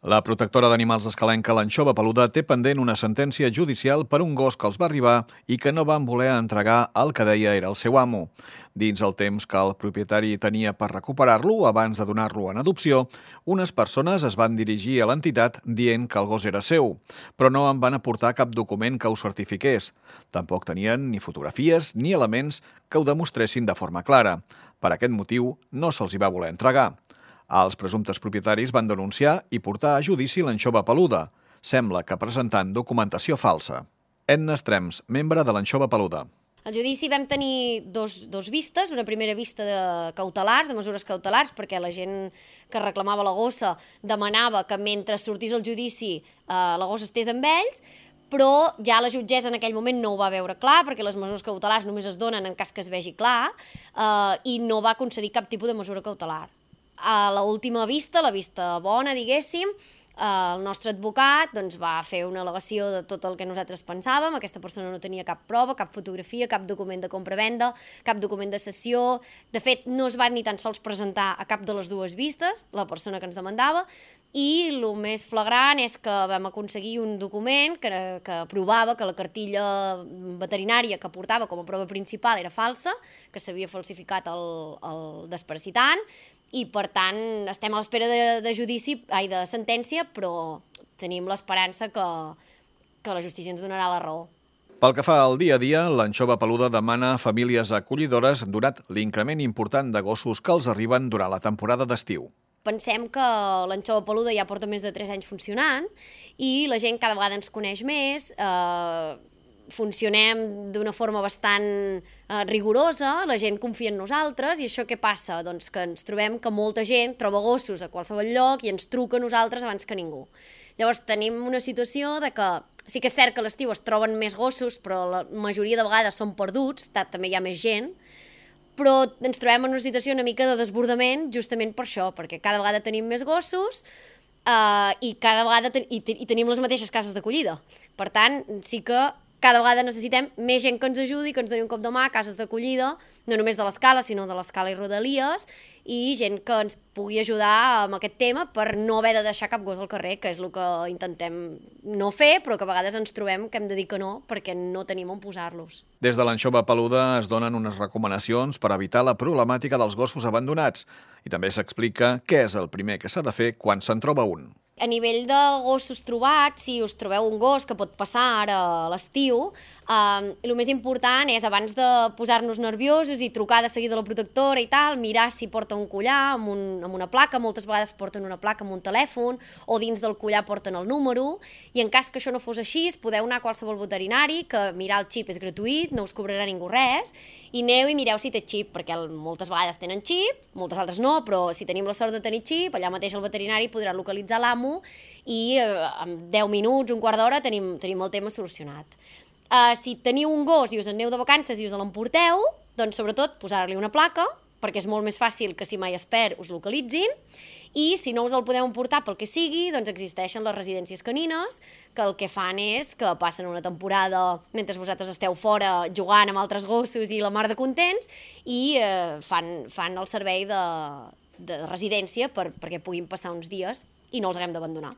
La protectora d'animals escalenca, l'anxova peluda, té pendent una sentència judicial per un gos que els va arribar i que no van voler entregar el que deia era el seu amo. Dins el temps que el propietari tenia per recuperar-lo abans de donar-lo en adopció, unes persones es van dirigir a l'entitat dient que el gos era seu, però no en van aportar cap document que ho certifiqués. Tampoc tenien ni fotografies ni elements que ho demostressin de forma clara. Per aquest motiu, no se'ls hi va voler entregar. Els presumptes propietaris van denunciar i portar a judici l'anxova peluda. Sembla que presentant documentació falsa. Edna Estrems, membre de l'anxova peluda. Al judici vam tenir dos vistes, una primera vista de cautelars, de mesures cautelars, perquè la gent que reclamava la gossa demanava que mentre sortís el judici la gossa estés amb ells, però ja la jutgessa en aquell moment no ho va veure clar, perquè les mesures cautelars només es donen en cas que es vegi clar, i no va concedir cap tipus de mesura cautelar. A l'última vista, la vista bona, diguéssim, el nostre advocat va fer una al·legació de tot el que nosaltres pensàvem. Aquesta persona no tenia cap prova, cap fotografia, cap document de compra-venda, cap document de cessió. De fet, no es va ni tan sols presentar a cap de les dues vistes, la persona que ens demandava, i el més flagrant és que vam aconseguir un document que provava que la cartilla veterinària que portava com a prova principal era falsa, que s'havia falsificat el desparasitant, i per tant estem a l'espera de sentència, però tenim l'esperança que la justícia ens donarà la raó. Pel que fa al dia a dia, l'anxova peluda demana a famílies acollidores donat l'increment important de gossos que els arriben durant la temporada d'estiu. Pensem que l'anxova peluda ja porta més de 3 anys funcionant i la gent cada vegada ens coneix més, funcionem d'una forma bastant rigorosa, la gent confia en nosaltres, i això què passa? Doncs que ens trobem que molta gent troba gossos a qualsevol lloc i ens truca a nosaltres abans que ningú. Llavors tenim una situació de que sí que és cert que a l'estiu es troben més gossos, però la majoria de vegades són perduts, també hi ha més gent, però ens trobem en una situació una mica de desbordament justament per això, perquè cada vegada tenim més gossos i cada vegada tenim les mateixes cases d'acollida. Per tant, sí que cada vegada necessitem més gent que ens ajudi, que ens doni un cop de mà, cases d'acollida, no només de l'Escala, sinó de l'Escala i Rodalies, i gent que ens pugui ajudar amb aquest tema per no haver de deixar cap gos al carrer, que és el que intentem no fer, però que a vegades ens trobem que hem de dir que no, perquè no tenim on posar-los. Des de l'anxova peluda es donen unes recomanacions per evitar la problemàtica dels gossos abandonats i també s'explica què és el primer que s'ha de fer quan se'n troba un. A nivell de gossos trobats, si us trobeu un gos que pot passar ara a l'estiu, el més important és, abans de posar-nos nerviosos i trucar de seguida a la protectora i tal, mirar si porta un collar amb una placa. Moltes vegades porten una placa amb un telèfon, o dins del collar porten el número, i en cas que això no fos així, podeu anar a qualsevol veterinari, que mirar el xip és gratuït, no us cobrarà ningú res, i aneu i mireu si té xip, perquè moltes vegades tenen xip, moltes altres no, però si tenim la sort de tenir xip, allà mateix el veterinari podrà localitzar l'amo i en 10 minuts, un quart d'hora, tenim el tema solucionat. Si teniu un gos i us en aneu de vacances i us l'emporteu, doncs sobretot posar-li una placa, perquè és molt més fàcil que si mai es perd us localitzin, i si no us el podeu emportar pel que sigui, doncs existeixen les residències canines, que el que fan és que passen una temporada mentre vosaltres esteu fora jugant amb altres gossos i la mar de contents, i fan el servei de residència perquè puguin passar uns dies i no els haguem d'abandonar.